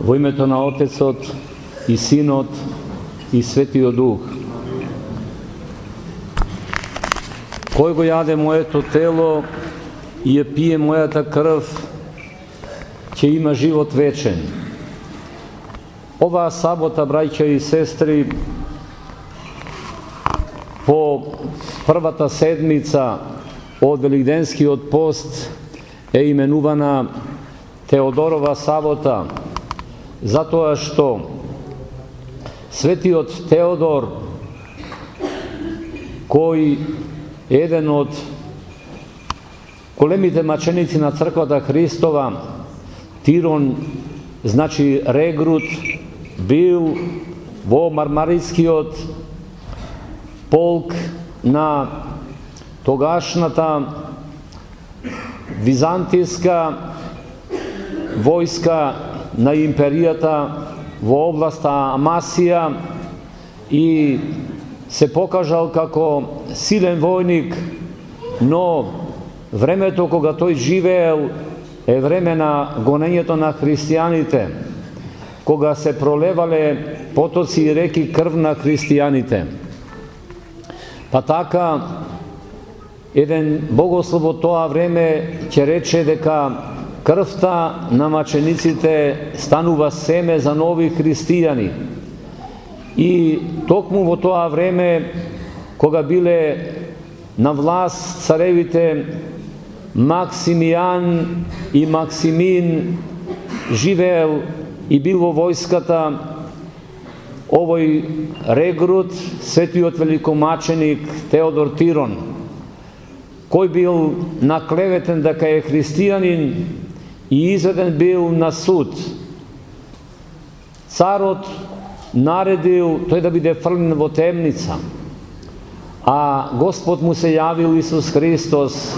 Во името на Отецот и Синот и Светиот Дух. Кој го јаде моето тело и ја пие мојата крв, ќе има живот вечен. Оваа сабота, браќа и сестри, по првата седмица од Великденскиот пост е именувана Теодорова сабота, затоа што Светиот Теодор, кој е еден од големите маченици на црквата Христова, Тирон, значи регрут, бил во Мармарискиот полк на тогашната византијска војска на империјата во областа Амасија и се покажал како силен војник, но времето кога тој живеел е време на гонењето на христијаните, кога се пролевале потоци и реки крв на христијаните. Па така, еден богослов во тоа време ќе рече дека крвта на мачениците станува семе за нови христијани. И токму во тоа време, кога биле на власт царевите Максимијан и Максимин, живеел и бил во војската овој регрут, светиот великомаченик Теодор Тирон, кој бил наклеветен дека е христијанин и изведен бил на суд. Царот наредил тој да биде фрлен во темница, а Господ му се јавил Исус Христос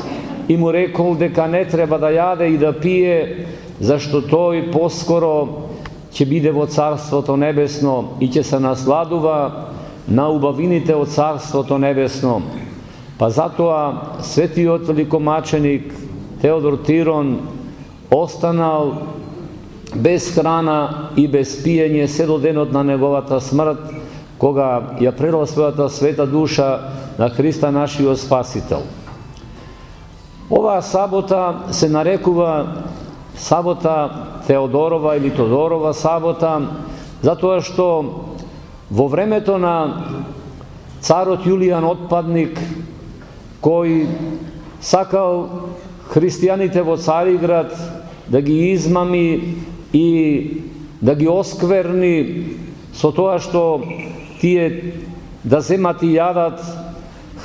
и му рекол дека не треба да јаде и да пие, зашто тој поскоро ќе биде во Царството Небесно и ќе се насладува на убавините од Царството Небесно. Па затоа светиот великомаченик Теодор Тирон останал без храна и без пиење се до денот на неговата смрт, кога ја предал својата света душа на Христа нашиот Спасител. Оваа сабота се нарекува сабота Теодорова или Тодорова сабота, затоа што во времето на царот Јулијан Отпадник, кој сакал христијаните во Цариград да ги измами и да ги оскверни со тоа што тие да земат и јадат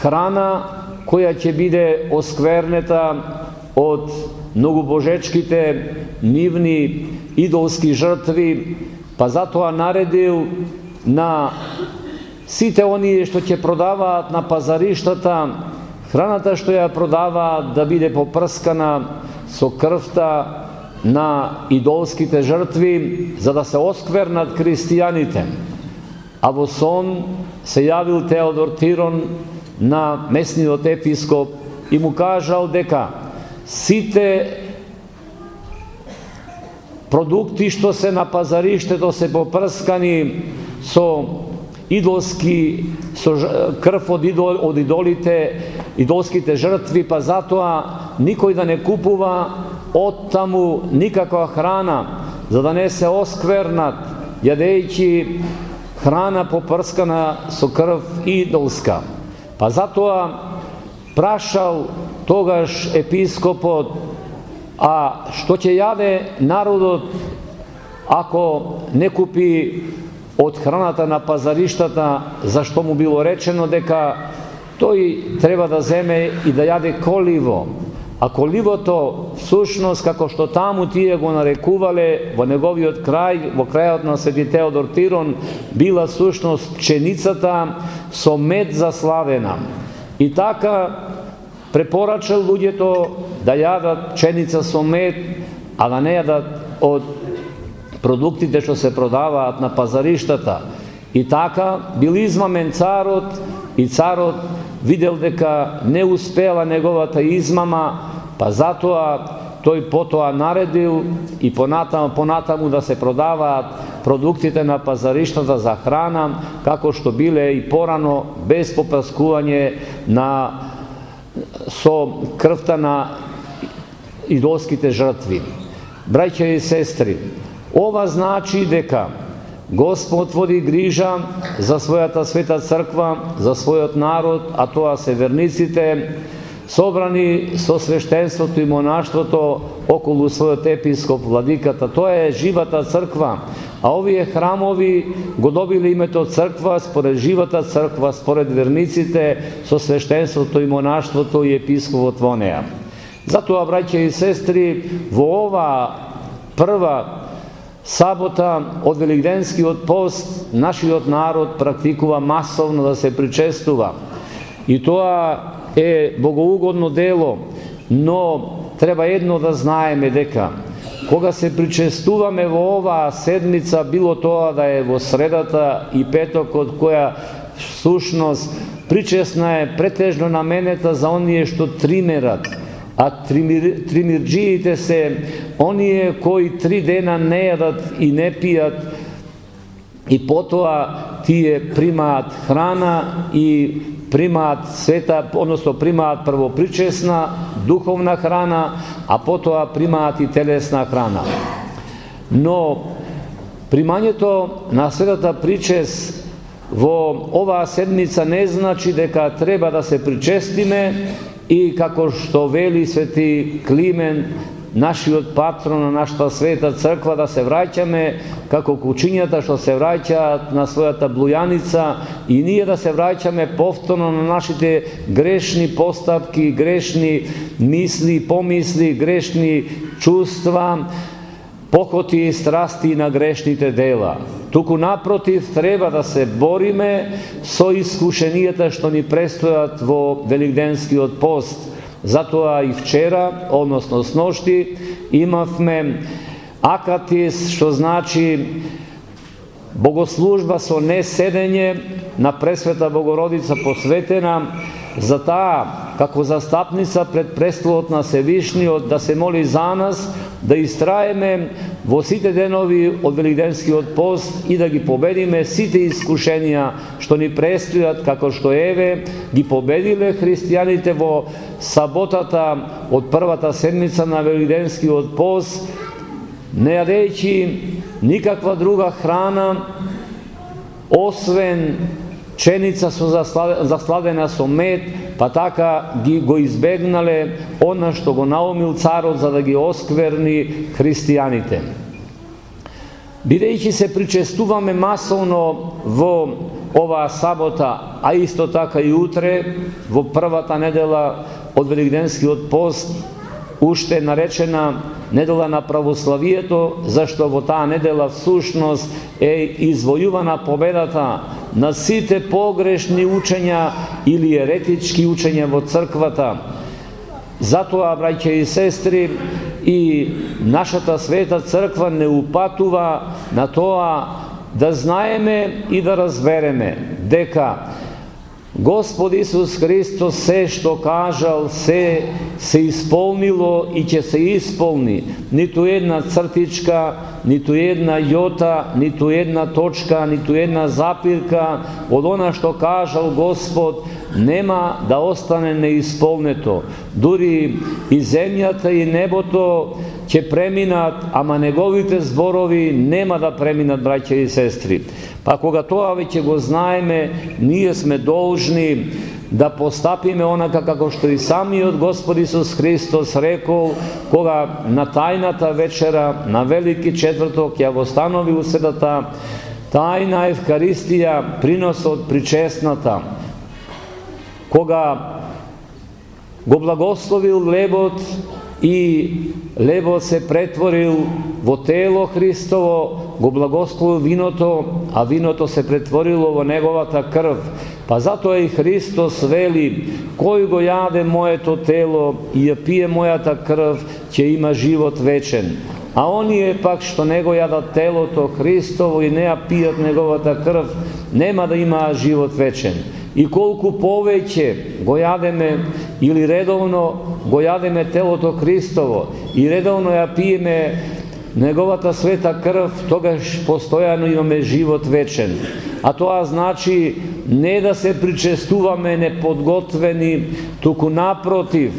храна која ќе биде осквернета од многобожечките нивни идолски жртви, па затоа наредил на сите оние што ќе продаваат на пазариштата, храната што ја продаваат да биде попрскана со крвта на идолските жртви, за да се осквернат христијаните. А во сон се јавил Теодор Тирон на местниот епископ и му кажал дека сите продукти што се на пазариштето се попрскани со идолски, со крв од идолите, идолските жртви, па затоа никој да не купува од таму никаква храна, за да не се осквернат, јадејќи храна попрскана со крв идолска. Па затоа прашал тогаш епископот, а што ќе јаде народот ако не купи од храната на пазариштата, зашто му било речено дека тој треба да земе и да јаде коливо. А коливото, всушност, како што таму тие го нарекувале во неговиот крај, во крајот на Свети Теодор Тирон, била всушност пченицата со мед заславена. И така препорачал луѓето да јадат пченица со мед, а да не јадат од продуктите што се продаваат на пазариштата. И така бил измамен царот, и царот видел дека не успела неговата измама, па затоа тој потоа наредил и понатаму да се продаваат продуктите на пазариштата за храна, како што биле и порано, без попаскување со крвта на идолските жртви. Браќа и сестри, ова значи дека Господ води грижа за својата света црква, за својот народ, а тоа се верниците, собрани со свештенството и монаштвото околу својот епископ владиката. Тоа е живата црква, а овие храмови го добиле името црква според живата црква, според верниците, со свештенството и монаштвото и епископот во неа. Затоа, браќа и сестри, во ова прва сабота од Великденскиот пост нашиот народ практикува масовно да се причестува. И тоа е богоугодно дело, но треба едно да знаеме дека кога се причестуваме во оваа седмица, било тоа да е во средата и петокот, која всушност причесна е претежно наменета за оние што тримерат, а тримирџиите се оние кои 3 дена не јадат и не пијат, и потоа тие примаат храна и примаат света, односно примаат прво причесна духовна храна, а потоа примаат и телесна храна. Но примањето на светата причест во оваа седмица не значи дека треба да се причестиме и како што вели свети Климент, нашиот патрон на нашата света црква, да се враќаме како кучињата што се враќаат на својата блујаница, и ние да се враќаме повторно на нашите грешни постапки, грешни мисли, помисли, грешни чувства, похоти и страсти на грешните дела. Туку напротив, треба да се бориме со искушенијата што ни престојат во Великденскиот пост. Затоа и вчера, односно сношти, имавме акатис, што значи богослужба со неседење на Пресвета Богородица посветена за таа, како застапница пред престолот на Севишниот, да се моли за нас, да истраеме во сите денови од Великденскиот пост и да ги победиме сите искушенија што ни престојат, како што еве ги победиле христијаните во саботата од првата седмица на Великденскиот пост, не јадејќи никаква друга храна освен пченица со засладена со мед, па така го избегнале она што го наумил царот за да ги оскверни христијаните. Бидејќи се причестуваме масовно во оваа сабота, а исто така и утре, во првата недела од Великденскиот пост, уште наречена недела на православието, зашто во таа недела всушност е извојувана победата на сите погрешни учења или еретички учења во црквата. Затоа, браќа и сестри, и нашата света црква не упатува на тоа да знаеме и да разбереме дека Господ Исус Христос се што кажал, се исполнило и ќе се исполни. Ниту една цртичка, ниту една јота, ниту една точка, ниту една запирка од она што кажал Господ нема да остане неисполнето. Дури и земјата и небото ќе преминат, ама неговите зборови нема да преминат, браќа и сестри. Па кога тоа веќе го знаеме, ние сме должни да постапиме онака како што и самиот Господ Исус Христос рекол, кога на тајната вечера, на Велики четврток, ја востанови светата тајна Евхаристија, приносот причесната, кога го благословил лебот и лебот се претворил во тело Христово, го благословил виното, а виното се претворило во неговата крв. Па затоа и Христос вели, кој го јаде моето тело и ја пие мојата крв, ќе има живот вечен. А оние пак што не го јадат телото Христово и не ја пијат неговата крв, нема да имаат живот вечен. И колку повеќе го јадеме или редовно го јадеме телото Христово и редовно ја пиеме неговата света крв, тогаш постојано имаме живот вечен. А тоа значи не да се причестуваме неподготвени, туку напротив,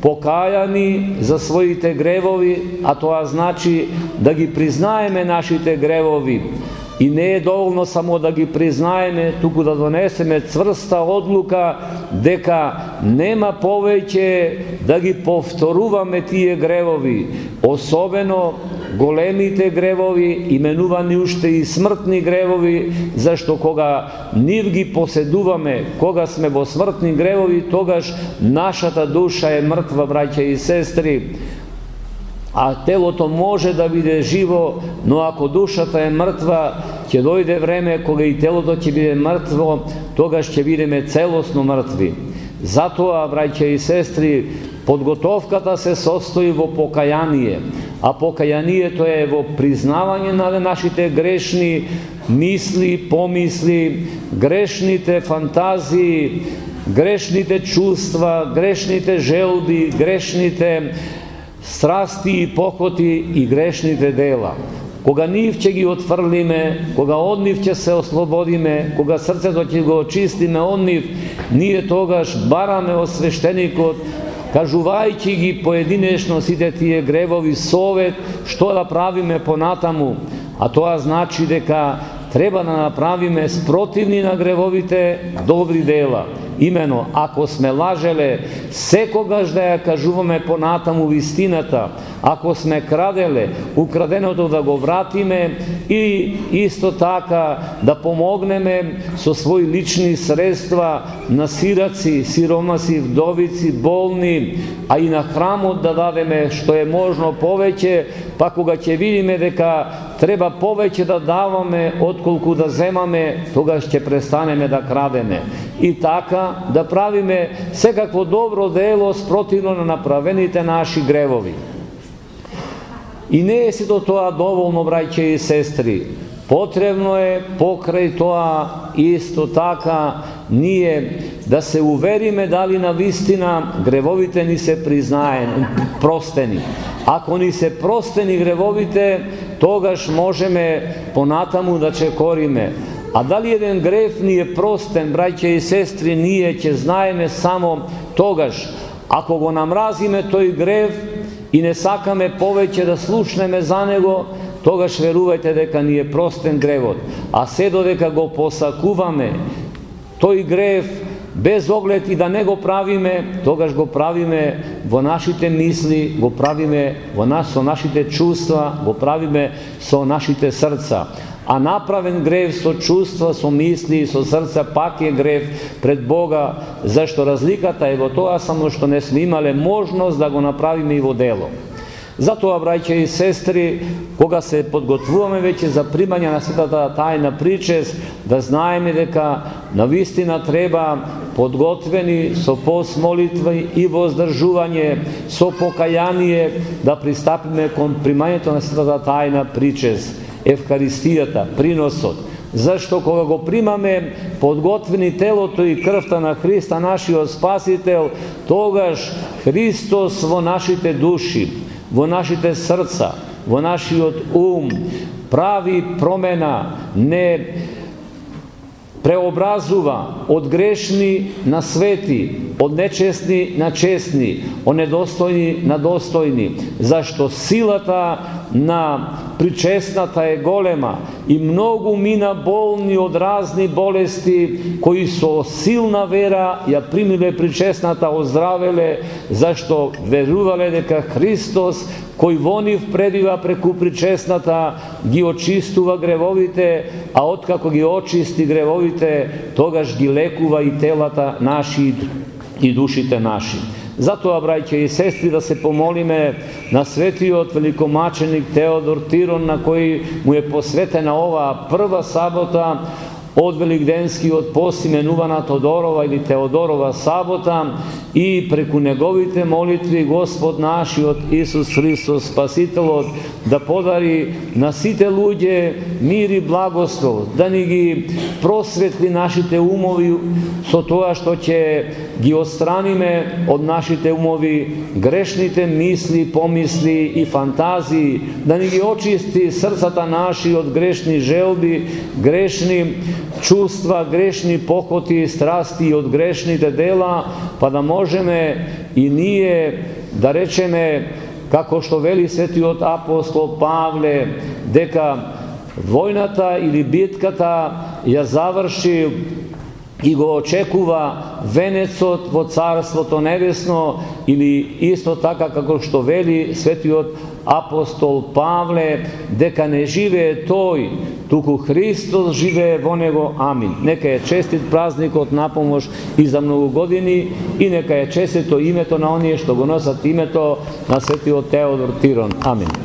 покајани за своите гревови, а тоа значи да ги признаеме нашите гревови. И не е доволно само да ги признаеме, туку да донесеме цврста одлука дека нема повеќе да ги повторуваме тие гревови, особено големите гревови, именувани уште и смртни гревови, зашто кога нив ги поседуваме, кога сме во смртни гревови, тогаш нашата душа е мртва, браќа и сестри. А телото може да биде живо, но ако душата е мртва, ќе дојде време кога и телото ќе биде мртво, тогаш ќе бидеме целосно мртви. Затоа, браќа и сестри, подготовката се состои во покаяние, а покаянието е во признавање на нашите грешни мисли, помисли, грешните фантазии, грешните чувства, грешните желби, грешните страсти и похоти и грешните дела. Кога нив ќе ги отфрлиме, кога од нив ќе се ослободиме, кога срцето ќе го очистиме од нив, ние тогаш бараме од свештеникот, кажувајќи ги поединечно сите тие гревови, совет што да правиме понатаму. А тоа значи дека треба да направиме спротивни на гревовите добри дела. Имено, ако сме лажеле, секогаш да ја кажуваме понатаму вистината. Ако сме краделе, украденото да го вратиме и исто така да помогнеме со своји лични средства на сираци, сиромаси, вдовици, болни, а и на храмот да дадеме што е можно повеќе, па кога ќе видиме дека треба повеќе да даваме отколку да земаме, тогаш ќе престанеме да крадеме. И така да правиме секакво добро дело спротивно на направените наши гревови. И не е сето тоа доволно, браќа и сестри. Потребно е покрај тоа исто така ние да се увериме дали на вистина гревовите ни се простени. Ако ни се простени гревовите, тогаш можеме понатаму да чекориме. А дали еден грев ни е простен, браќа и сестри, ние ќе знаеме само тогаш. Ако го намразиме тој грев и не сакаме повеќе да слушнеме за него, тогаш верувајте дека ни е простен гревот. А се додека го посакуваме тој грев, без оглед и да не го правиме, тогаш го правиме во нашите мисли, го правиме со нашите чувства, го правиме со нашите срца. А направен грев со чувства, со мисли и со срца пак е грев пред Бога, зашто разликата е во тоа само што не сме имале можност да го направиме и во дело. Затоа, браќа и сестри, кога се подготвуваме веќе за примање на светата тајна причест, да знаеме дека навистина треба подготвени со пост, молитва и воздржување, со покаяние да пристапиме кон примањето на светата тајна причест, Евхаристијата, приносот. Зашто кога го примаме подготвени телото и крвта на Христа, нашиот Спасител, тогаш Христос во нашите души, во нашите срца, во нашиот ум, прави промена, не преобразува од грешни на свети, од нечестни на честни, од недостојни на достојни, зашто силата на причестната е голема и многу мина болни од разни болести, кои со силна вера ја примиле причестната, оздравеле, зашто верувале дека Христос, кој во нив пребива преку причестната, ги очистува гревовите, а откако ги очисти гревовите, тогаш ги лекува и телата наши и душите наши. Затоа, браќа и сестри, да се помолиме на светиот великомаченик Теодор Тирон, на кој му е посветена оваа прва сабота од Великденскиот пост именувана Тодорова или Теодорова сабота и преку неговите молитви Господ нашиот Исус Христос Спасителот да подари на сите луѓе мир и благослов, да ни ги просветли нашите умови со тоа што ќе ги отстраниме од нашите умови грешните мисли, помисли и фантазии, да ни ги очисти срцата наши од грешни желби, грешни чувства, грешни похоти, страсти и од грешните дела, па да можеме и ние да речеме, како што вели светиот апостол Павле, дека војната или битката ја заврши и го очекува венецот во Царството Небесно, или исто така како што вели светиот апостол Павле, дека не живее тој, туку Христос живее во него. Амин. Нека е честит празникот на помош и за многу години, и нека е честито името на оние што го носат името на светиот Теодор Тирон. Амин.